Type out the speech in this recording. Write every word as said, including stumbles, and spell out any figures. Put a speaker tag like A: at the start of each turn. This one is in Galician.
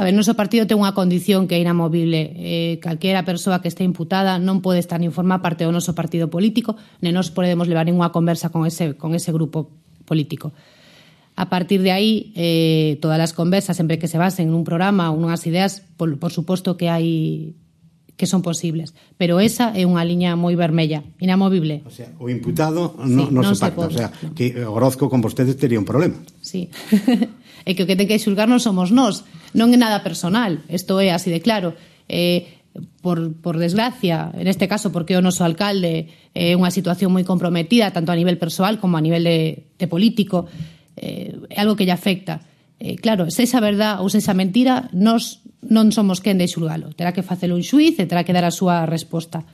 A: A ver, noso partido ten unha condición que é inamovible. Eh, calquera persoa que este imputada non pode estar nin formar parte do noso partido político, nen nos podemos levar ninguna conversa con ese, con ese grupo político. A partir de aí, eh, todas as conversas, sempre que se basen nun programa ou nunhas ideas, por, por suposto que hai que son posibles, pero esa é unha liña moi vermella, inamovible.
B: O sea, o imputado no, sí, non, non se pacta, se o sea, no. Que Orozco con vostedes tería un problema.
A: Sí. É que o que ten que xulgar non somos nós, non é nada personal, isto é así de claro. Eh, por, por desgracia, en este caso porque o noso alcalde é eh, unha situación moi comprometida, tanto a nivel persoal como a nivel de, de político, eh, é algo que lle afecta. Eh, claro, se esa verdad ou se esa mentira, nós non somos quen de xulgalo. Terá que facelo un xuiz e terá que dar a súa resposta.